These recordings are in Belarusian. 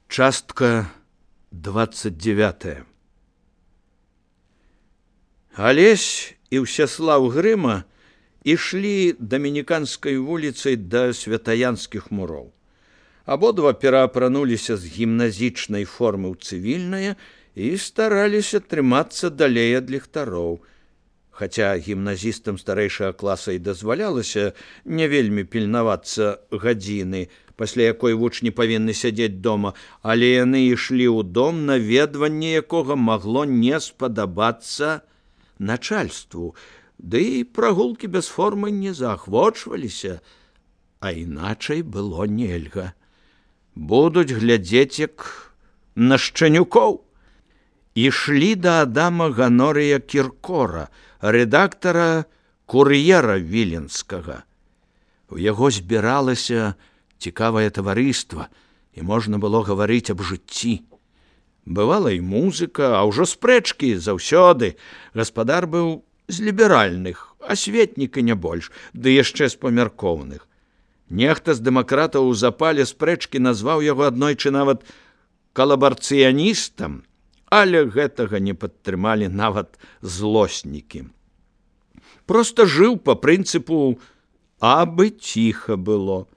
Частка 29. Алесь і Ўсяслаў Грыма ішлі дамініканскай вуліцай да святаянскіх муроў. Абодва пераапрануліся з гімназічнай формы ў цывільнае і стараліся трымацца далей ад ліхтароў. Хаця гімназістам старэйшага класа і дазвалялася не вельмі пільнавацца гадзіны, пасля якой вучні павінны сядзець дома, але яны ішлі ў дом, наведванне якога магло не спадабацца начальству, ды і прагулкі без формы не заахвочваліся, а іначай было нельга. Будуць глядзець як на шчанюкоў. Ішлі да Адама Ганорыя Кіркора, рэдактара кур'ера віленскага. У яго збіралася цікавае таварыства, і можна было гаварыць аб жыцці. Бывала і музыка, а ўжо спрэчкі заўсёды. Гаспадар быў з ліберальных, асветнік і не больш, ды яшчэ з памяркоўных. Нехта з дэмакратаў у запале спрэчкі назваў яго аднойчы нават калабарцыяністам, але гэтага не падтрымалі нават злоснікі. Проста жыў па прынцыпу «абы ціха было».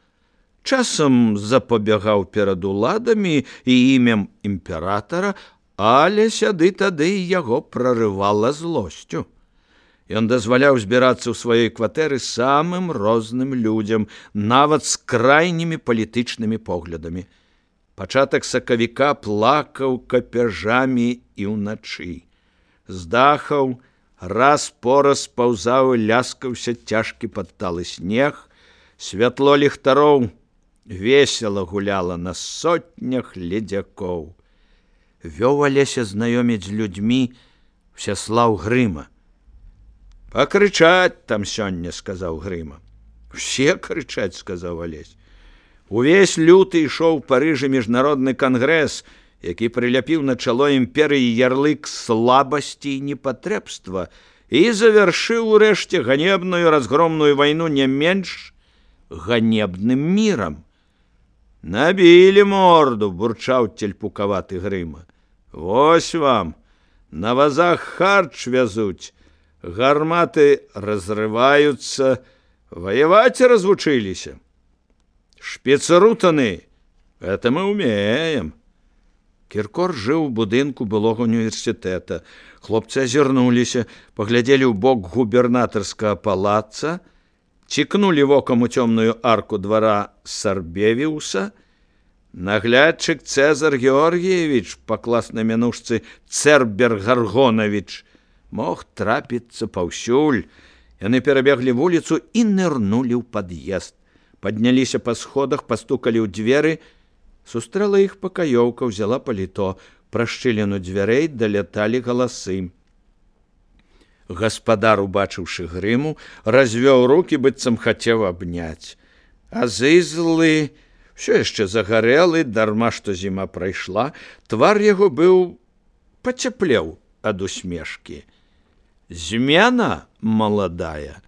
Часам запабягаў перад уладамі і імем імператара, але сяды тады яго прарывала злосцю. Ён дазваляў збірацца ў сваёй кватэры самым розным людзям, нават з крайнімі палітычнымі поглядамі. Пачатак сакавіка плакаў капяжамі і ўначы. З дахаў раз-пораз паўзаў і ляскаўся цяжкі падталы снег, святло ліхтароў весела гуляла на сотнях ледзякоў. Вёў Алеся знаёміць з людзьмі Ўсяслаў Грыма. «Пакрычаць там сёння», — сказаў Грыма. «Усе крычаць», — сказаў Алесь. Увесь люты ішоў у Парыжы міжнародны кангрэс, які прыляпіў на чало імперыі ярлык слабасці і непатрэбства і завяршыў урэшце ганебную разгромную вайну не менш ганебным мірам. «Набілі морду», — бурчаў цельпукаваты Грыма. «Вось вам, на вазах харч вязуць, гарматы разрываюцца, ваяваць развучыліся. Шпіцрутаны, гэта мы умеем». Кіркор жыў у будынку былога універсітэта. Хлопцы азірнуліся, паглядзелі ў бок губернатарскага палаца, цікнулі вокам у цёмную арку двара Сарбевіуса. Наглядчык Цэзар Георгіевіч, па класнай мянушцы Цэрбер Гаргонавіч, мог трапіцца паўсюль. Яны перабеглі вуліцу і нырнулі ў пад'езд. Падняліся па сходах, пастукалі ў дзверы. Сустрэла іх пакаёўка, взяла паліто. Пра шчыліну дзвярэй даляталі галасы. Гаспадар, убачыўшы Грыму, развёў рукі, быццам хацеў абняць. А зызлы, ўсё яшчэ загарэлы, дарма што зіма прайшла, твар яго быў пацяплеў ад усмешкі. «Змена маладая,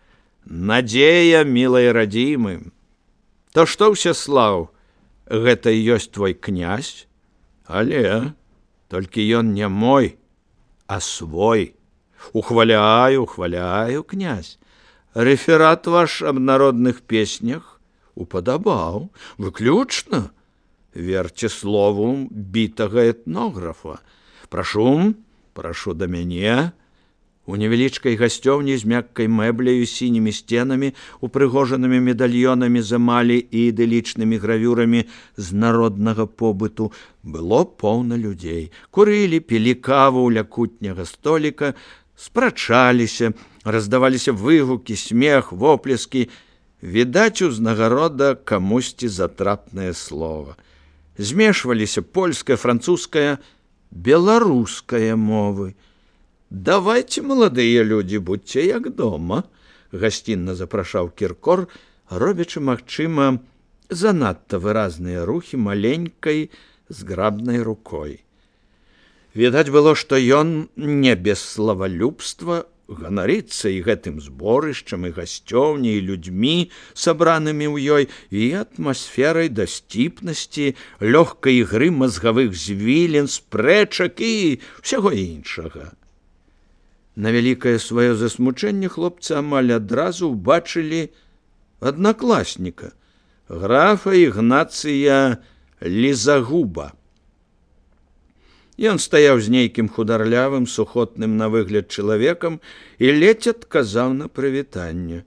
надзея мілай радзімы. То што, Ўсяслаў, гэта і ёсць твой князь? Але толькі ён не мой, а свой. Ухваляю, ухваляю, князь. Рэферат ваш аб народных песнях упадабаў, выключна. Верце слову бітага этнографа. Прашу да мяне». У невялічкай гасцёўні з мяккай мэбляю, сінімі сценамі, упрыгожанымі медальёнамі з эмалі і ідылічнымі гравюрамі з народнага побыту было поўна людзей. Курылі, пілі каву ля кутняга століка, спрачаліся, раздаваліся выгукі, смех, воплескі. Відаць, узнагарода камусьці затрапнае слова. Змешваліся польская, французская, беларуская мовы. «Давайте, маладыя людзі, будьце як дома», — гасцінна запрашаў Кіркор, робячы, магчыма, занадта выразныя рухі маленькай зграбнай рукой. Відаць было, што ён не без славалюбства ганарыцца і гэтым зборышчам, і гасцёўняй, і людзьмі, сабранымі ў ёй, і атмасферай дасціпнасці, лёгкай ігры мазгавых звілін, спрэчак і ўсяго іншага. На вялікае сваё засмучэнне хлопцы амаль адразу ўбачылі аднакласніка, графа Ігнацыя Лізагуба. Ён стаяў з нейкім хударлявым, сухотным на выгляд чалавекам і ледзь адказаў на прывітанне.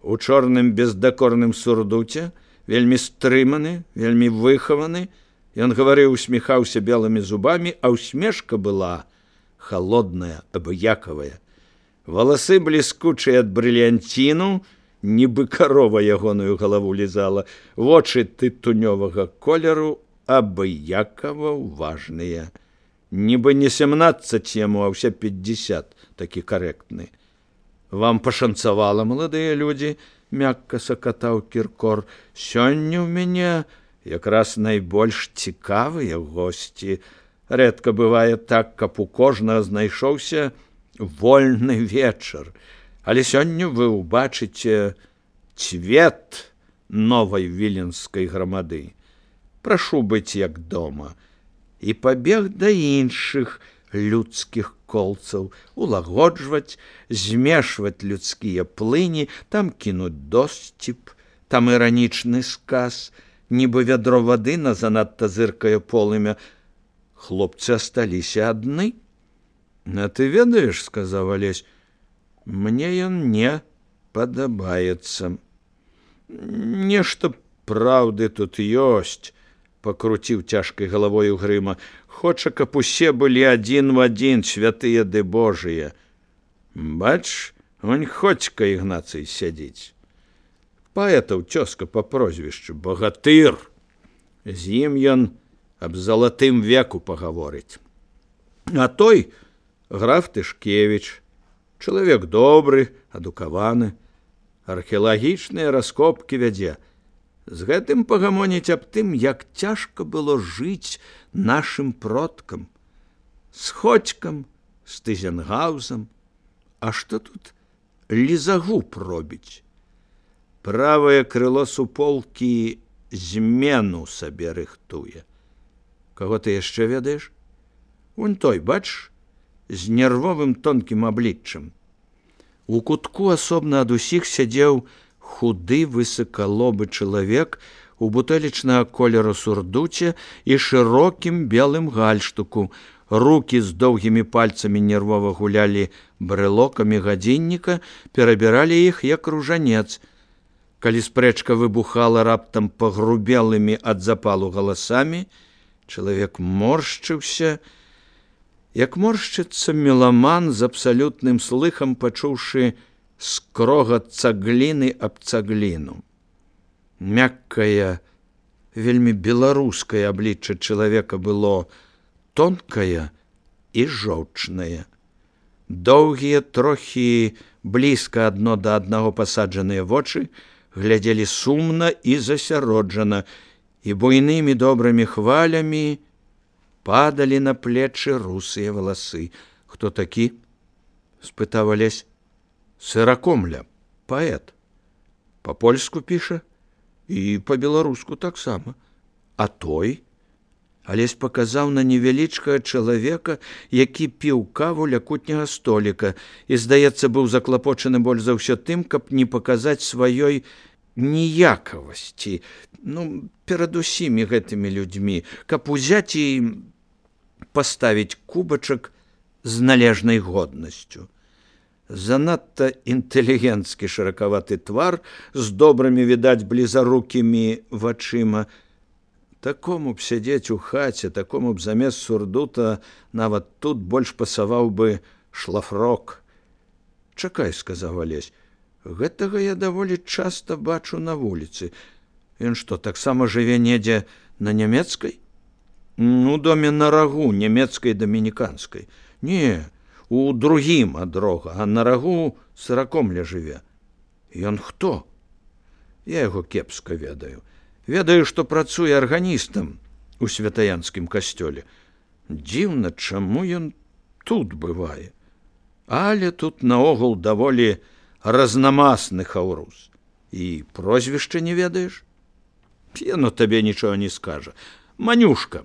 У чорным бездакорным сурдуце, вельмі стрыманы, вельмі выхаваны, ён гаварыў, усміхаўся белымі зубамі, а усмешка была холодная, абыякавая. Валасы бліскучыя ад брыльянціну, нібы карова ягоную галаву лізала, вочы тытунёвага колеру абыякава ўважныя. Нібы не 17 яму, а ўсе 50, такі карэктны. Вам пашанцавала, маладыя людзі, мякка сакатаў Кіркор. Сёння ў мяне якраз найбольш цікавыя госці. Рэдка бывае так, каб у кожнага знайшоўся вольны вечар. Але сёння вы ўбачыце цвет новай віленскай грамады. Прашу быць як дома. І пабег да іншых людскіх колцаў, улагоджваць, змешваць людскія плыні, там кінуць досціп, там іранічны сказ, нібы вядро вады на занадта зыркае полымя. Хлопцы асталіся адны. А ты ведаеш, сказаў Алесь, мне ён не падабаецца. Нешта праўды тут ёсць, пакруціў цяжкай галавою Грыма. Хоча, каб усе былі адзін в адзін, святыя ды божыя. Бач, вунь Ходзька Ігнацый сядзіць. Паэтаў цёзка па прозвішчу, багатыр. З ім ён аб залатым веку пагаворыць. А той граф Тышкевіч, чалавек добры, адукаваны, археалагічныя раскопкі вядзе. З гэтым пагамоніць аб тым, як цяжка было жыць нашым продкам. З Ходзькам, з Тызенгаузам. А што тут Лізагуб робіць? Правае крыло суполкі змену сабе рыхтуе. Каго ты яшчэ ведаеш? Вунь той, бач, з нервовым тонкім абліччам. У кутку асобна ад усіх сядзеў худы высакалобы чалавек у бутэлечнага колеру сурдуце і шырокім белым гальштуку. Рукі з доўгімі пальцамі нервова гулялі брэлокамі гадзінніка, перабіралі іх як ружанец. Калі спрэчка выбухала раптам пагрубелымі ад запалу галасамі, чалавек моршчыўся, як моршчыцца меламан з абсалютным слыхам, пачуўшы скрогат цагліны аб цагліну. Мяккае, вельмі беларускае аблічча чалавека было тонкае і жоўчнае. Доўгія, трохі блізка адно да аднаго пасаджаныя вочы глядзелі сумна і засяроджана, і буйнымі добрымі хвалямі падалі на плечы русыя валасы. Хто такі? Спытаў Алесь. Сыракомля, паэт. Па-польску піша і па-беларуску таксама. А той? Алесь паказаў на невялічкага чалавека, які піў каву ля кутняга століка і, здаецца, быў заклапочаны больш за ўсё тым, каб не паказаць сваёй ніякавасці, перад усімі гэтымі людзьмі, каб узяць і паставіць кубачак з належнай годнасцю. Занадта інтэлігенцкі шыракаваты твар з добрымі, відаць, блізарукімі вачыма. Такому б сядзець у хаце, такому б замест сурдута нават тут больш пасаваў бы шлафрок. Чакай, сказаў Алесь, гэтага я даволі часта бачу на вуліцы. Ён што, таксама жыве недзе на нямецкай? У доме на рагу, нямецкай дамініканскай. Не, у другім ад рога, а на рагу Сыракомля жыве. Ён хто? Я яго кепска ведаю. Ведаю, што працуе арганістам у святаянскім касцёле. Дзіўна, чаму ён тут бывае. Але тут наогул даволі разнамасны хаўрус. І прозвішча не ведаеш? Яно табе нічога не скажа. Манюшка.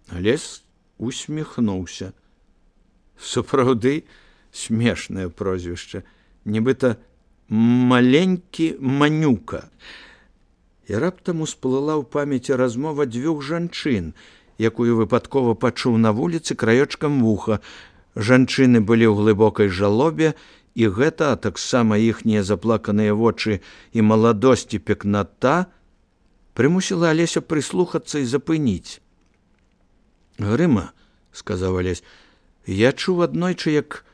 Алесь усміхнуўся. Сапраўды смешнае прозвішча. Нібыта маленькі Манюка. І раптам усплыла ў памяці размова дзвюх жанчын, якую выпадкова пачуў на вуліцы краёчкам вуха. Жанчыны былі ў глыбокай жалобе, і гэта, а таксама іхнія заплаканыя вочы і маладосць і пекната прымусіла Алеся прыслухацца і запыніць. Грыма, сказаў Алесь, я чуў аднойчы, як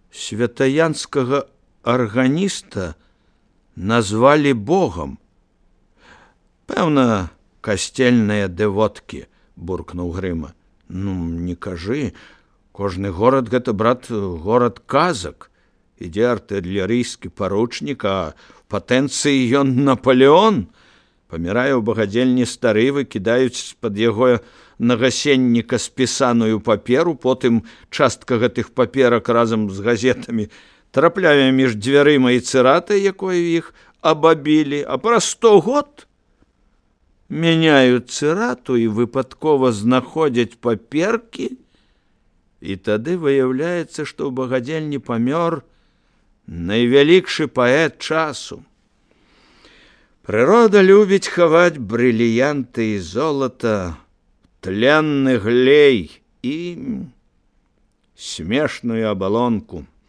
святаянскага арганіста назвалі Богам. Пэўна, касцельныя дэвоткі, буркнуў Грыма. Ну, не кажы, кожны горад гэта, брат, горад казак. Ідзе артылерыйскі паручнік, а в патэнцыі ён Наполеон. Памірае ў багадзельні стары, выкідаюць з-пад яго нагасенніка спісаную паперу, потым частка гэтых паперак разам з газетамі трапляе між дзвярыма і цыратай, якою іх абабілі, а праз 100 год мяняюць цырату і выпадкова знаходзяць паперкі, і тады выяўляецца, што ў багадзельні памёр найвялікшы паэт часу. Прырода любіць хаваць брыліянты і золата, тленны глей і смешную абалонку.